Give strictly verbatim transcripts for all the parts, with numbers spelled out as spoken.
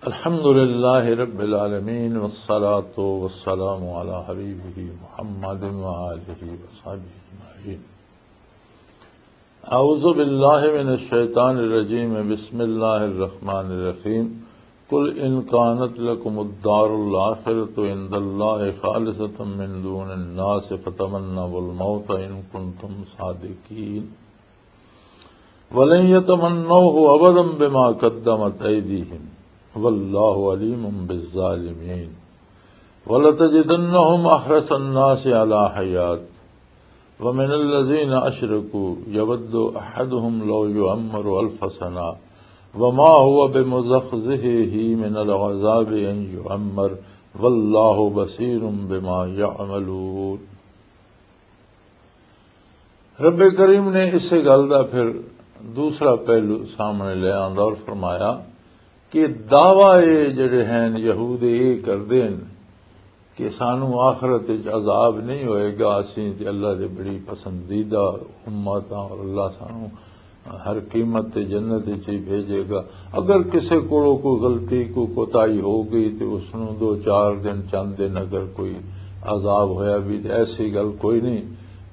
الحمد لله رب العالمين، والصلاة والسلام على حبيبه محمد وآله وصحبه أجمعين. أعوذ بالله من الشيطان الرجيم. بسم الله الرحمن الرحيم. قل إن كانت لكم الدار الآخرة عند الله خالصة من دون الناس فتمنوا الموت إن كنتم صادقين. ولن يتمنوه أبدا بما قدمت أيديهم والله عليم بالظالمين. ولتجدنهم أحرص الناس على حياة ومن الذين أشركوا يود أحدهم لو يعمر ألف سنة وما هو بمزحزحه من العذاب أن يعمر والله بصير بما يعملون. رب کریم نے اسے گل دا پھر دوسرا پہلو سامنے لے آندا اور فرمایا کہ دعویٰ اے جڑے ہیں یہود اے کردے ہیں کہ سانو آخرت وچ عذاب نہیں ہوئے گا، اسیں تے اللہ دے بڑی پسندیدہ امت ہاں اور اللہ سانو ہر قیمت تے جنت وچ ہی بھیجے گا۔ اگر کسے کولوں کوئی غلطی، کوئی کوتاہی ہو گئی تے اس نوں دو چار دن، چند دن اگر کوئی عذاب ہویا بھی تے ایسی گل کوئی نہیں۔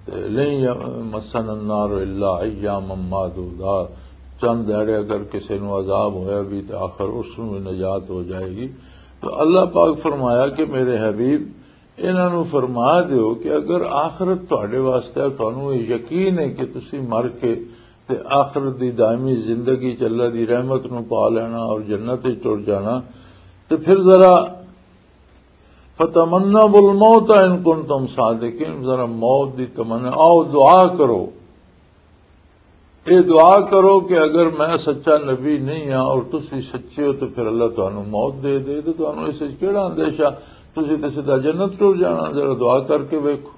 تے لن یمسنا النار الا ایاما معدودات، چند دہاڑے اگر کسے نوں عذاب ہویا بھی تے آخر اس نوں بھی نجات ہو جائے گی۔ تو اللہ پاک فرمایا کہ میرے حبیب، انہاں نوں فرما دیو کہ اگر آخرت تہاڈے واسطے ہے، تہانوں یہ یقین ہے کہ تسی مر کے تے آخرت دی دائمی زندگی چ اللہ دی رحمت نوں پا لینا اور جنت وچ ٹر جانا، تے پھر ذرا فتمنوا الموت ان کنتم صادقین، ذرا موت دی تمنا، آؤ دعا کرو، اے دعا کرو کہ اگر میں سچا نبی نہیں ہاں اور تسی سچے ہو تو پھر اللہ تانوں موت دے دے، تو تانوں اس وچ کیڑا اندیشہ؟ تسی تے سیدھا جنت ٹر جانا۔ ذرا دعا کر کے ویکھو،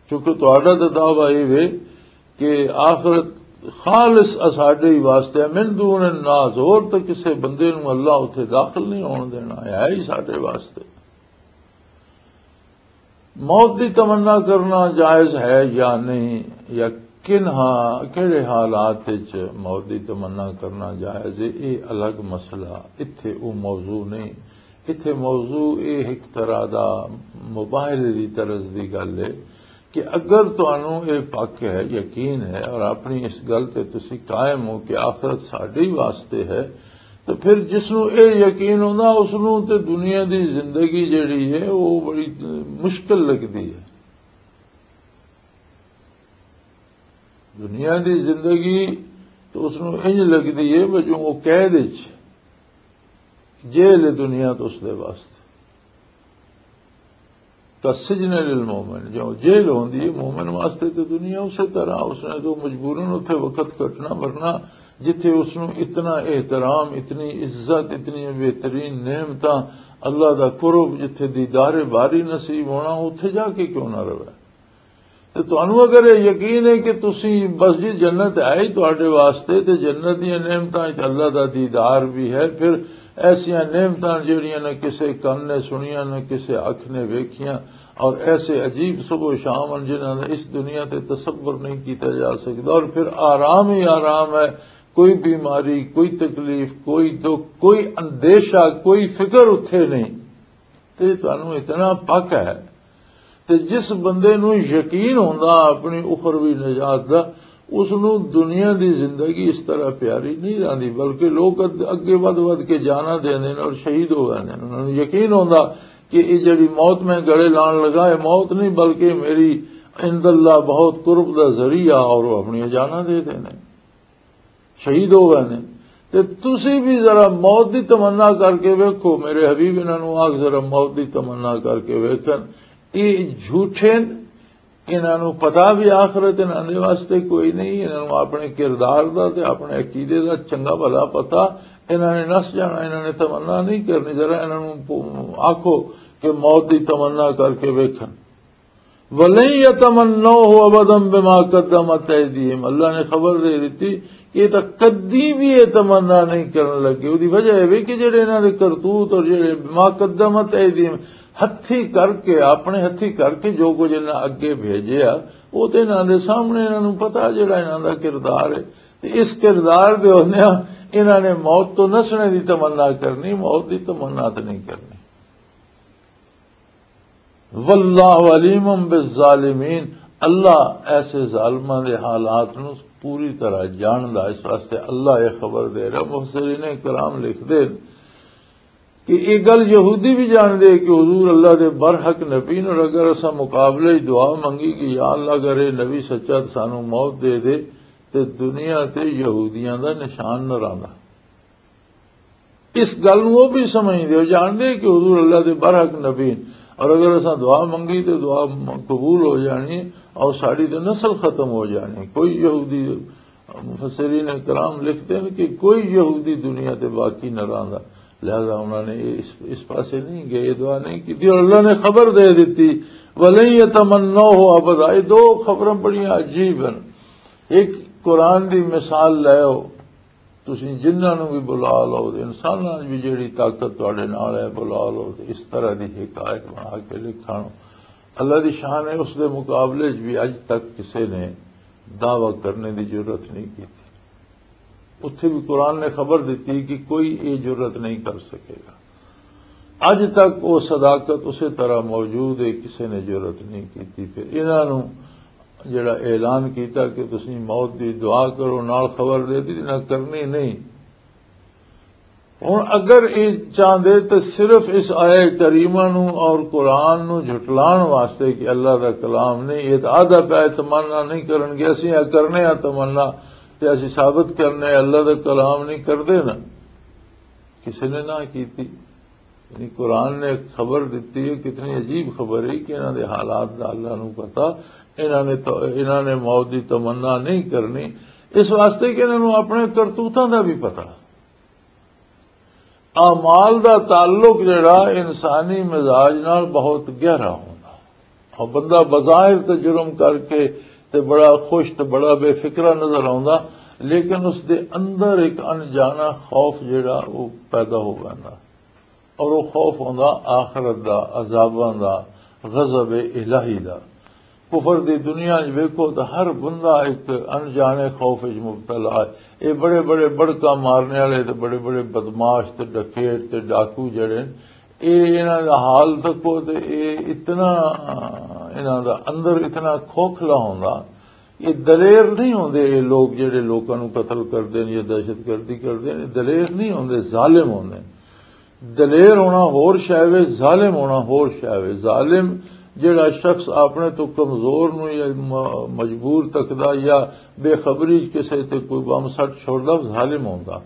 کیونکہ تہاڈا تے دعویٰ اے وے کہ آخرت خالص اساڈے ہی واسطے ہے، من دون الناس، اور تے کسے بندے نوں اللہ اتھے داخل نہیں ہون دینا، ہے ہی ساڈے واسطے۔ موت دی تمنا کرنا جائز ہے یا نہیں، یا کن ہاں، کہڑے حالات وچ موت دی تمنا کرنا جائز ہے، یہ الگ مسئلہ۔ اتھے وہ موضوع نہیں۔ اتھے موضوع یہ ایک طرح دا مباحثے دی طرز دی گل ہے کہ اگر تانوں یہ پک ہے، یقین ہے اور اپنی اس گل تے تسی قائم ہو کہ آخرت ساڈے ہی واسطے ہے، تو پھر جس نوں اے یقین ہوندا، اس نوں تے دنیا دی زندگی جڑی ہے، وہ بڑی مشکل لگدی ہے۔ دنیا دی زندگی تو اس نوں انج لگدی ہے، وجوں وہ قید وچ، جیل ہے دنیا تو اس دے واسطے۔ کا سجن للمومن، جو جیل ہوندی ہے مومن واسطے، تو دنیا اسی طرح اس نے تو مجبوراً اتھے وقت کٹنا، ورنہ جتھے اس نوں اتنا احترام، اتنی عزت، اتنی بہترین نعمتاں، اللہ دا قرب، جتھے دیدار باری نصیب ہونا، اتھے جا کے کیوں نہ رہے؟ تے تانوں اگر یہ یقین ہے کہ تسی بس جی جنت ہے ہی تہاڈے واسطے، تے جنت دیاں نعمتاں وچ اللہ دا دیدار بھی ہے، پھر ایسیاں نعمتاں جڑیاں نہ کسے کن نے سنیاں، نہ کسے اکھ نے ویکھیاں، اور ایسے عجیب صبح و شام ہیں جنہاں دا اس دنیا تے تصور نہیں کیتا جا سکدا، اور پھر آرام ہی آرام ہے، کوئی بیماری، کوئی تکلیف، کوئی دکھ، کوئی اندیشہ، کوئی فکر اتھے نہیں۔ تے تانوں اتنا پک ہے۔ تے جس بندے نوں یقین ہوندا اپنی اخروی نجات دا، اس نوں دنیا دی زندگی اس طرح پیاری نہیں رہندی، بلکہ لوگ اگ-، اگے ودھ ودھ کے جانا دیندے نے اور شہید ہو ویندے نے۔ انہاں نوں یقین ہوندا کہ یہ جڑی موت میں گلے لان لگا، یہ موت نہیں، بلکہ میری عند اللہ بہت قرب دا ذریعہ، اور وہ اپنی جانا دے دینے۔ شہید ہو گئے نے۔ تے تسی بھی ذرا موت دی تمنا کر کے ویکھو، میرے حبیب، انہاں نوں آکھ ذرا موت دی تمنا کر کے ویکھن۔ یہ جھوٹے نے، انہاں نوں پتہ بھی آخرت انہاں دے واسطے کوئی نہیں، انہاں نوں اپنے کردار دا تے اپنے عقیدے دا چنگا بھلا پتہ، انہاں نے نس جانا، انہاں نے تمنا نہیں کرنی۔ ذرا انہاں نوں پو-، آکھو کہ موت دی تمنا کر کے ویکھن۔ وَلَن يَتَمَنَّوْهُ أَبَدًا بِمَا قَدَّمَتْ أَيْدِيهِمْ۔ اللہ نے خبر دے دتی کہ یہ تاں کدی بھی یہ تمنا نہیں کرن لگے۔ وہ دی وجہ یہ کہ جڑے انہاں دے کرتوت اور جڑے بما قدمت ایدیہم، ہتھی کر کے، اپنے ہتھی کر کے جو کچھ انہاں اگے بھیجیا، وہ تے انہاں دے سامنے، انہاں نوں پتہ جڑا انہاں دا کردار ہے۔ اس کردار دے ہوندیاں انہاں نے موت تو نسنے دی تمنا کرنی، موت دی تمنا تو نہیں کرنی۔ واللہ علیم بالظالمین، اللہ ایسے ظالماں دے حالات نو پوری طرح جاندا، اس واسطے اللہ یہ خبر دے رہا۔ مفسرین کرام لکھ دے کہ یہ گل یہودی بھی جان دے کہ حضور اللہ دے برحق نبی نے، اور اگر اساں مقابلے وچ دعا منگی کہ یا اللہ، اگر یہ نبی سچا تو سانو موت دے دے، تے دنیا تے یہودیاں دا نشان نہ رہندا۔ اس گل نوں وہ بھی سمجھدے ہو، جاندے کہ حضور اللہ دے برحق نبی ہیں، اور اگر اساں دعا منگی تے دعا م-، قبول ہو جانی ہے، اور ساڈی تے نسل ختم ہو جانی ہے۔ کوئی یہودی، مفسرین کرام لکھتے ہیں کہ کوئی یہودی دنیا تے باقی نہ رہندا، لہذا انہوں نے اس، اس پاسے نہیں گئے، یہ دعا نہیں کی، اور اللہ نے خبر دے دیتی، ولن یتمنوہ ابدا۔ یہ دو خبراں بڑیاں عجیب ہیں۔ ایک قرآن دی مثال لے ہو، تسی جنہاں نوں بھی بلا لو، تے انساناں وچ بھی جیڑی طاقت تہاڈے نال ہے، بلا لو، تے اس طرح دی حکایت بنا کے لکھن۔ اللہ دی شان ہے، اس دے مقابلے وچ بھی اج تک کسے نے دعویٰ کرنے دی جرات نہیں کی۔ اتھے بھی قرآن نے خبر دیتی کہ کوئی یہ جرات نہیں کر سکے گا۔ اج تک وہ صداقت اسی طرح موجود ہے، کسے نے جرات نہیں کی۔ پھر انہاں نوں جڑا اعلان کیتا کہ تسی موت دی دعا کرو، نال خبر دے دی، نہ کرنی نہیں۔ ہن اگر یہ چاہندے تو صرف اس آیہ کریمہ نو اور قرآن نو جھٹلان واسطے کہ اللہ دا کلام نہیں، یہ تو آدھا پیا تمنا نہیں کرن گے، اسی آ کرنے آ تمنا، تے اسی ثابت کرنے اللہ دا کلام نہیں کردے نا، کسی نے نہ کیتی۔ یعنی قرآن نے ایک خبر دیتی ہے، کتنی عجیب خبر ہے کہ انہاں دے حالات دا اللہ نو پتا، انہاں نے تو، انہاں نے موت دی تمنا نہیں کرنی، اس واسطے کہ انہاں نو اپنے کرتوتاں دا بھی پتا۔ اعمال دا تعلق جڑا انسانی مزاج نال بہت گہرا ہوندا۔ اور بندہ بظاہر تے جرم کر کے تے بڑا خوش تے بڑا بے فکرا نظر آوندا، لیکن اس دے اندر ایک انجانا خوف جڑا وہ پیدا ہو ویندا۔ اور وہ خوف ہوندا آخرت دا، عذاباں دا، غضب الہی دا۔ کفر دی دنیا وچ ویکھو تاں ہر بندہ ایک انجانے خوف وچ مبتلا ہے۔ اے بڑے بڑے بڑکاں مارنے والے تے بڑے بڑے بدماش تے ڈکیٹ تے ڈاکو جڑے نے، اے انہاں دا حال تکو تے اے اتنا، انہاں دا اندر اتنا کھوکھلا ہوندا۔ یہ دلیر نہیں ہوندے، یہ لوگ جڑے لوکاں نوں قتل کردے نے یا دہشت گردی کردے نے، دلیر نہیں ہوندے، ظالم ہوندے نے۔ دلیر ہونا ہور شے وے، ظالم ہونا ہور شے وے۔ ظالم جڑا شخص اپنے تو کمزور نوں یا م-، مجبور تکدا یا بے خبری چ کسے تے کوئی بم سٹ چھوڑدا، ظالم ہوندا۔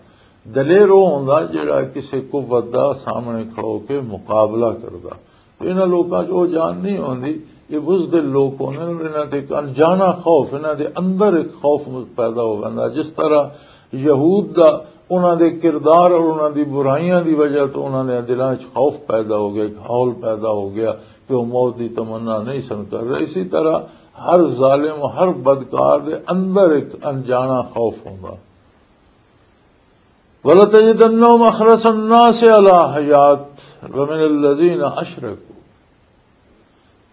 دلیر وہ ہوندا جڑا کسے قوت دا سامنے کھڑو کے مقابلہ کردا۔ تو انہاں لوکاں چ وہ جان نہیں ہوندی۔ یہ بزدل لوک ہوندے نے، انہاں تے ایک انجانا خوف، انہاں دے اندر ایک خوف پیدا ہو ویندا۔ جس طرح یہود دا انہاں دے کردار اور انہاں دی برائیاں دی وجہ تو انہاں دے دلاں وچ خوف پیدا ہو گیا، ایک ہول پیدا ہو گیا کہ وہ موت دی تمنا نہیں سن کر رہے۔ اسی طرح ہر ظالم، ہر بدکار دے اندر ایک انجانا خوف ہوندا۔ وَلَتَجِدَنَّهُمْ أَحْرَصَ النَّاسِ عَلَى حَيَاةٍ وَمِنَ الَّذِينَ أَشْرَكُوا۔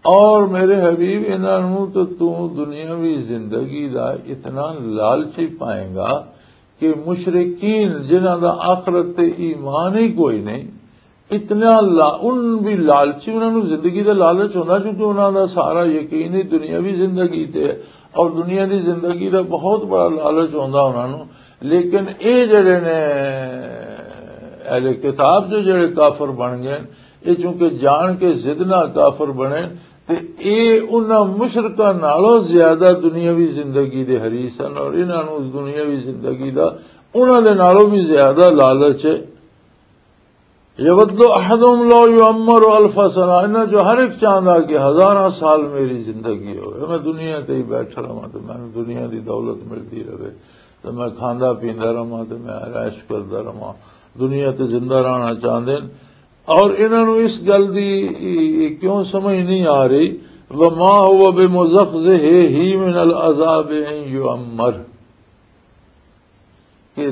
اور میرے حبیب، انہاں نوں تو تو دنیاوی زندگی دا اتنا لالچی پائیں گا کہ مشرکین، جنہاں دا آخرت تے ایمان ہی کوئی نہیں، اتنا لا-، ان بھی لالچی، انہاں نوں زندگی دا لالچ ہوندا، کیونکہ انہاں دا سارا یقین ہی دنیاوی زندگی تے ہے، اور دنیا دی زندگی دا بہت بڑا لالچ ہوندا انہاں نوں۔ لیکن اے جڑے نے اہل کتاب جو جڑے کافر بن گئے، اے چونکہ جان کے ضد نال کافر بنے، تے اے انہاں مشرکاں نالوں زیادہ دنیاوی زندگی دے حریص ہن، اور انہاں نوں اس دنیاوی زندگی دا انہاں دے نالوں بھی زیادہ لالچ ہے۔ یود احدہم لو یعمر الف سنہ، انہاں جو ہر ایک چاہندا کہ ہزاراں سال میری زندگی ہوئے، میں دنیا تے ہی بیٹھا رہواں تے میں دنیا دی دولت ملتی رہے، تے میں کھاندا پیندا رہواں، تے میں عیش کردا رہواں۔ دنیا تے زندہ رہنا چاہندے نے۔ اور انہاں نوں اس گل دی کیوں سمجھ نہیں آ رہی؟ وما هو بمزحزحہ من العذاب ان یعمر، کہ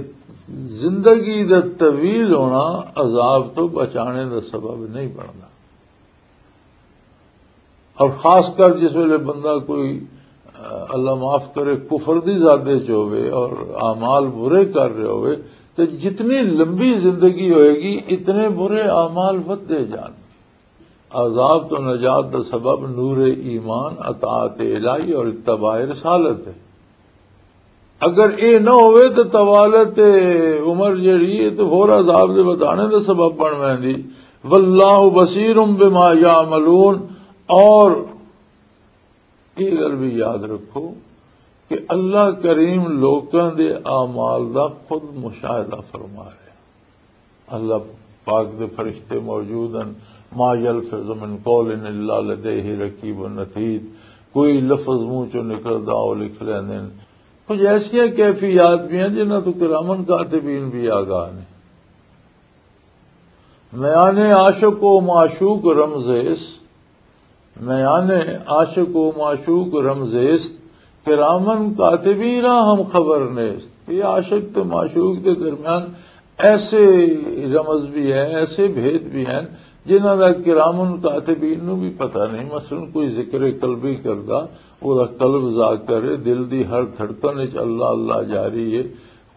زندگی دا طویل ہونا عذاب تو بچانے دا سبب نہیں بندا۔ اور خاص کر جس ویلے بندہ کوئی اللہ معاف کرے، کفر دی زادے چ ہوئے اور اعمال برے کر رہے ہوئے، تو جتنی لمبی زندگی ہوئے گی، اتنے برے اعمال ودھدے جان۔ عذاب تو نجات دا سبب نور ایمان، اطاعت الہی اور اتباع رسالت ہے۔ اگر اے نہ ہوئے تو طوالت عمر جڑی ہے تو ہور عذاب دے ودھانے دا سبب بن ویندی۔ واللہ بصیر بما یعملون۔ اور یہ گل بھی یاد رکھو کہ اللہ کریم لوکاں دے اعمال دا خود مشاہدہ فرما رہے۔ اللہ پاک دے فرشتے موجود ہیں۔ ما یلفظ من قول الا لدیہ رقیب عتید۔ کوئی لفظ منہ چوں نکلدا، وہ لکھ لیندے ہیں۔ کچھ ایسیاں کیفیات بھی ہیں جنہاں تو کرامن کاتبین بھی آگاہ نے۔ میان عاشق و معشوق رمزیست، میان عاشق و معشوق رمزیست، کرامن کاتبین را ہم خبر نیست۔ یہ عاشق تے معشوق دے درمیان ایسے رمز بھی ہیں، ایسے بھید بھی ہیں جنہاں دا کرامن کاتبین نو بھی پتہ نہیں۔ مثلاً کوئی ذکر قلبی کردا، او دا قلب ذاکر ہے، دل دی ہر دھڑکن وچ اللہ اللہ جاری ہے،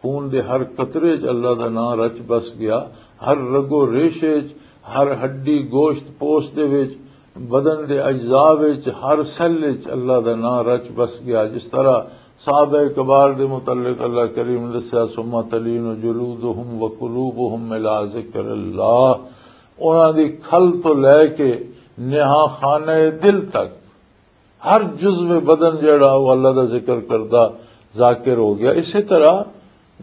خون دے ہر قطرے وچ اللہ دا نام رچ بس گیا، ہر رگ و ریشے وچ، ہر ہڈی گوشت پوست دے وچ، بدن دے اجزاء وچ، ہر سیل وچ اللہ دا نام رچ بس گیا۔ جس طرح صحابہ کبار دے متعلق اللہ کریم نے دسیا، "ثم تلین جلودہم و قلوبہم الی ذکر اللہ"، انہاں دی کھل تو لے کے نہا خانہ دل تک ہر جزو بدن جڑا وہ اللہ دا ذکر کردا ذاکر ہو گیا۔ اسی طرح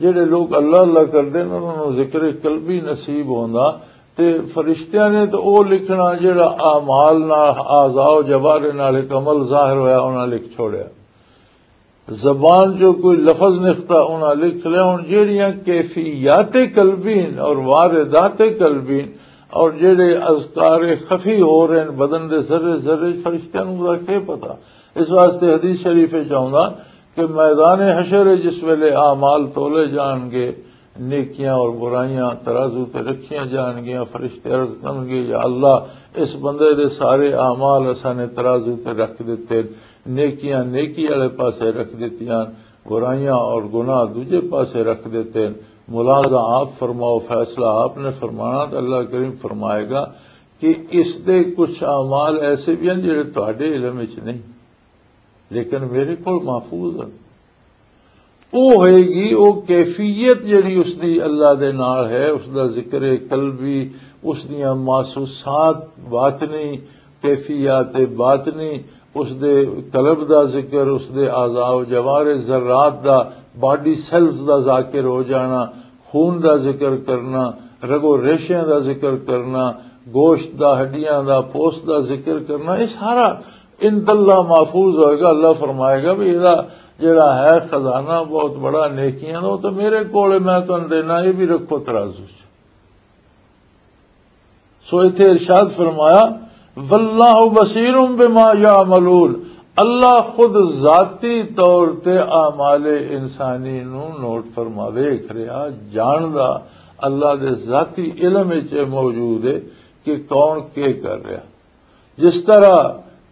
جڑے لوگ اللہ اللہ کردے نے، انہاں نوں ذکر قلبی نصیب ہوندا۔ تے فرشتیاں نے تے او لکھنا جڑا اعمال نال، اعضاء و جوارح نال ایک عمل ظاہر ہویا، انہاں لکھ چھوڑیا۔ زبان چوں کوئی لفظ نکتا، انہاں لکھ لیا۔ ہن جڑیاں کیفیات قلبی اور واردات قلبی اور جڑے اذکار خفی ہو رہے ہیں بدن دے ذرے ذرے، فرشتیاں نوں دا کی پتہ؟ اس واسطے حدیث شریف وچ آوندا کہ میدان حشر جس ویلے اعمال تولے جان گے، نیکیاں اور برائیاں ترازو تے رکھیاں جان گیاں، فرشتے عرض کرن گے، "یا اللہ، اس بندے دے سارے اعمال اساں نے ترازو تے رکھ دتے، نیکیاں نیکی والے پاسے رکھ دتیاں، برائیاں اور گناہ دوجے پاسے رکھ دتے۔" ملاحظہ آپ فرماؤ، فیصلہ آپ نے فرمانا، تو اللہ کریم فرمائے گا کہ اس دے کچھ اعمال ایسے بھی ہیں جڑے تہاڈے علم وچ نہیں، لیکن میرے کول محفوظ ہیں۔ او ہوئے گی، او کیفیت جڑی اس دی اللہ دے نال ہے، اس دا ذکر قلبی، اس دیاں محسوسات باطنی، کیفیات باطنی، اس دے قلب دا ذکر، اس دے اعضاء و جوارح ذرات دا، باڈی سیلز دا ذاکر ہو جانا، خون دا ذکر کرنا، رگ و ریشیاں دا ذکر کرنا، گوشت دا، ہڈیاں دا، پوست دا ذکر کرنا، یہ سارا عند اللہ محفوظ ہوئے گا۔ اللہ فرمائے گا بھی یہ جڑا ہے خزانہ بہت بڑا نیکیاں دا، وہ تو میرے کول ہے، میں تمہیں دینا، یہ بھی رکھو ترازو چ۔ سو اتھے ارشاد فرمایا، "واللہ بصیر بما یعملون"، اللہ خود ذاتی طور تے اعمال انسانی نو نوٹ فرما، ویکھ رہا، جاندا، اللہ دے ذاتی علم وچ موجود ہے کہ کون کے کر رہا۔ جس طرح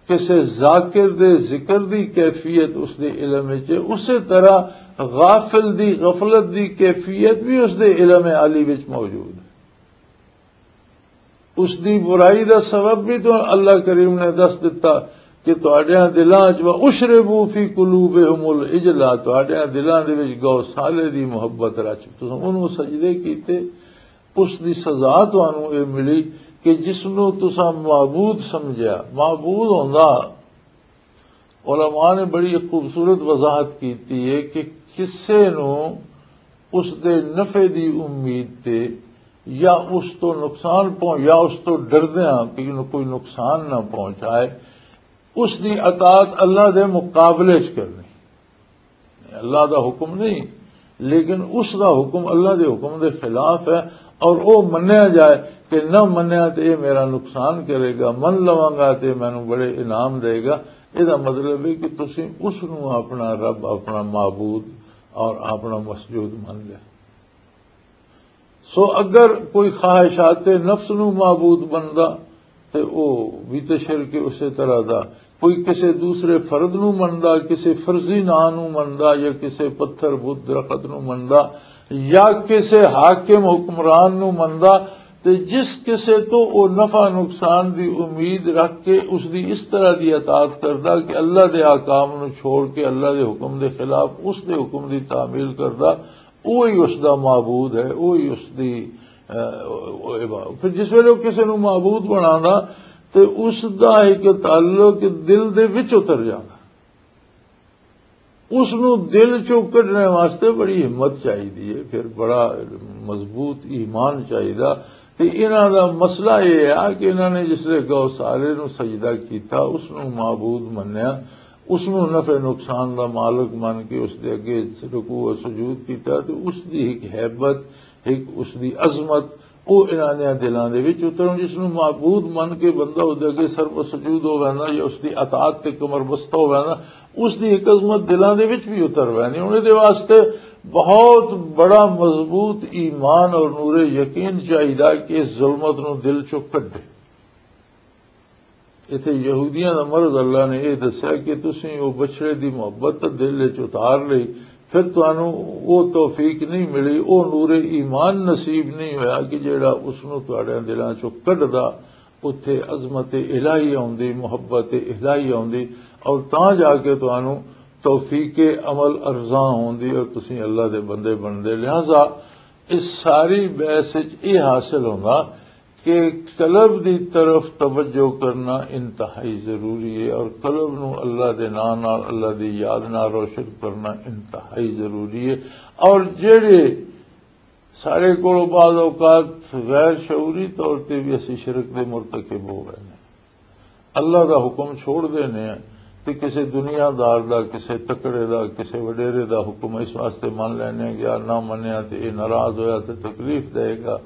کسے ذاکر دے ذکر دی کیفیت اس دے علم وچ ہے، اسی طرح غافل دی غفلت دی کیفیت بھی اس دے علم عالی وچ موجود ہے۔ اس دی برائی دا سبب بھی تو اللہ کریم نے دس دتا کہ تہاڈیاں دلاں وچ، "وَأُشْرِبُوا فِي قُلُوبِهُمُ الْعِجْلَ"، تہاڈیاں دلاں دے وچ گو سالے دی محبت رچ، تساں انہوں سجدے کیتے، اس دی سزا تانوں اے ملی کہ جس نوں تساں معبود سمجھیا، معبود ہوندا۔ علماء نے بڑی خوبصورت وضاحت کیتی ہے کہ کسے نوں اس دے نفع دی امید تے یا اس تو نقصان پہنچ، یا اس تو ڈردیاں کہ انہوں کوئی نقصان نہ پہنچائے، اس دی اطاعت اللہ دے مقابلے چ کرنی۔ اللہ دا حکم نہیں، لیکن اس دا حکم اللہ دے حکم دے خلاف ہے، اور او منیا جائے کہ نہ منیا تے اے میرا نقصان کرے گا، من لواں گا تے مینوں بڑے انعام دے گا۔ اے دا مطلب ہے کہ تسی اس نوں اپنا رب، اپنا معبود اور اپنا مسجود من لیا۔ سو اگر کوئی خواہشات نفس نوں معبود بندا تے او بھی تے شرک اسی طرح دا کوئی کسے دوسرے فرد نو مندا، کسے فرضی ناں نو مندا، یا کسے پتھر بت درخت نو مندا، یا کسے حاکم حکمران نو مندا، تے جس کسے تو او نفع نقصان دی امید رکھ کے اس دی اس طرح دی اطاعت کردا کہ اللہ دے احکام نو چھوڑ کے اللہ دے حکم دے خلاف اس دے حکم دی تعمیل کردا، اوہی اس دا معبود ہے، اوہی اس دی، اے، او، او عبادت۔ پھر جس ویلے او کسے نو معبود بنانا، تے اس دا ایک تعلق دل دے وچ اتر جانا۔ اس نو دل چوں کڈنے واسطے بڑی ہمت چاہیدی ہے، پھر بڑا مضبوط ایمان چاہیدا۔ تے انہاں دا مسئلہ یہ ہے کہ انہاں نے جس لے گو سارے نو سجدہ کیتا، اس نو معبود منیا، اس نو نفع نقصان دا مالک من کے اس دے اگے رکوع و سجود کیتا، تے اس دی ایک ہیبت، ایک اس دی عظمت، او انہاں دیاں دلاں دے وچ اتر۔ جس نو معبود من کے بندہ اس دے اگے سر و سجود ہو ویندا یا اس دی اطاعت تے کمر بستہ ہو ویندا، اس دی ایک عظمت دلاں دے وچ بھی اتر وینی۔ ہن دے واسطے بہت بڑا مضبوط ایمان اور نور یقین چاہیدا کہ اس ظلمت نو دل چوں کڈے۔ ایتھے یہودیاں دا مرض اللہ نے یہ دسیا کہ تسیں او بچڑے دی محبت تاں دل وچ اتار لئی، پھر تانوں او توفیق نہیں ملی، او نور ایمان نصیب نہیں ہویا کہ جیڑا اس نو تہاڈے دلاں چوں کڈدا، اتھے عظمت الہی آوندی، محبت الہی آوندی، اور تاں جا کے تانوں توفیق عمل ارزاں ہوندی اور تسیں اللہ دے بندے بندے۔ لہذا اس ساری بحث وچ یہ حاصل ہوندا کہ قلب دی طرف توجہ کرنا انتہائی ضروری ہے، اور قلب نو اللہ دے نام نال، اللہ دی یاد نال روشن کرنا انتہائی ضروری ہے۔ اور جڑے سارے کولوں بعض اوقات غیر شعوری طور تے بھی اسی شرک دے مرتکب ہو گئے نے، اللہ دا حکم چھوڑ دینے ہیں تے کسے دنیا دار دا، کسے تکڑے دا، کسے وڈیرے دا حکم اس واسطے من لینے ہیں کہ یار نہ منیا تے اے ناراض ہویا تے تکلیف دے گا،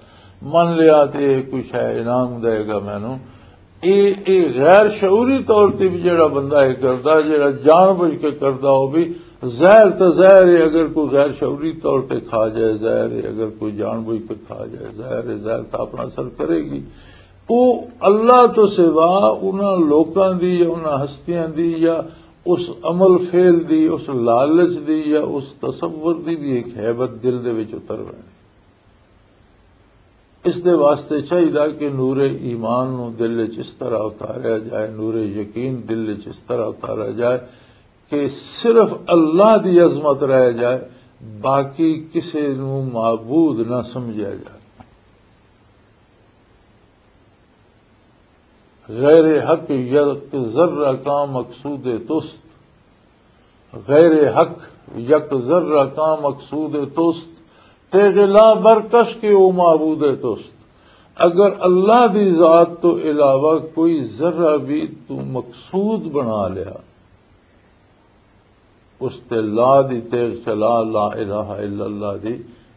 من لیا تے اے کوئی شے انعام دے گا مینوں۔ اے، اے غیر شعوری طور تے بھی جڑا بندہ اے کردا، جڑا جان بوجھ کے کردا، او بھی زہر تے زہر ہے، اگر کوئی غیر شعوری طور تے کھا جائے زہر ہے، اگر کوئی جان بوجھ کے کھا جائے زہر ہے، زہر تاں اپنا اثر کرے گی۔ او اللہ تو سوا انہاں لوکاں دی یا انہاں ہستیاں دی یا اس عمل فعل دی، اس لالچ دی یا اس تصور دی بھی ایک ہیبت دل دے وچ اتر ویندی۔ اس دے واسطے چاہیدا کہ نور ایمان نو دل وچ اس طرح اتاریا جائے، نور یقین دل وچ اس طرح اتاریا جائے کہ صرف اللہ دی عظمت رہ جائے، باقی کسے نو معبود نہ سمجھیا جائے۔ غیر حق یک ذرہ کاں مقصود توست، غیر حق یک ذرہ کاں مقصود توست، تیغ لا برکش کہ او معبود توست۔ اگر اللہ دی ذات تو علاوہ کوئی ذرہ بھی تو مقصود بنا لیا، اس تے لا دی تیغ چلا لا الہ الا اللہ دی،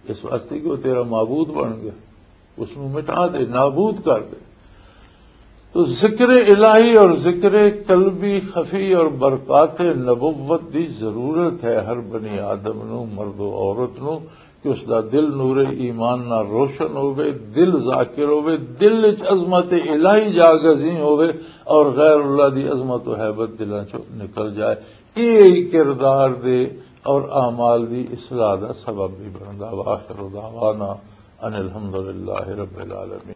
اس واسطے کہ وہ تیرا معبود بن گیا، اس نو مٹا دے، نابود کر دے۔ تو ذکر الہی اور ذکر قلبی خفی اور برکات نبوت دی ضرورت ہے ہر بنی آدم نو، مرد و عورت نو، کہ اس دا دل نور ایمان نال روشن ہووے، دل ذاکر ہووے، دل وچ عظمت الہی جاگزیں ہووے اور غیر اللہ دی عظمت و ہیبت دلاں چوں نکل جائے۔ یہ کردار دے اور اعمال دی اصلاح دا سبب بھی بندا۔ وآخر دعوانا ان الحمدللہ رب العالمین۔